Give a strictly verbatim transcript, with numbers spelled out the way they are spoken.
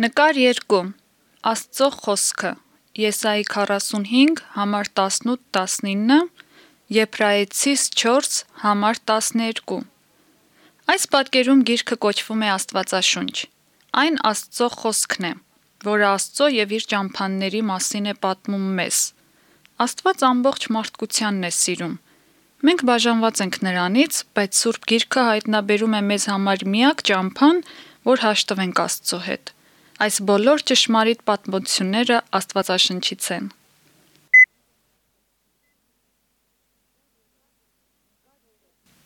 Նկար երկու. Աստծո խոսքը. Եսայի քառասունհինգ, համար տասնութ տասնինը, Եբրայեցիս չորս, համար տասներկու։ Այս պատկերում գիրքը կոչվում է Աստվածաշունչ։ Այն Աստծո խոսքն է, որը Աստծո և իր ճամփաների մասին է պատմում մեզ։ Աստված ամբողջ մարդկությանն է սիրում։ Մենք բաժանված ենք նրանից, բայց Սուրբ Գիրքը հայտնաբերում է մեզ համար միակ ճամփան, որ հաշտվենք Աստծո հետ։ Այս բոլոր ճշմարիտ պատմությունները Աստվածաշնչից են։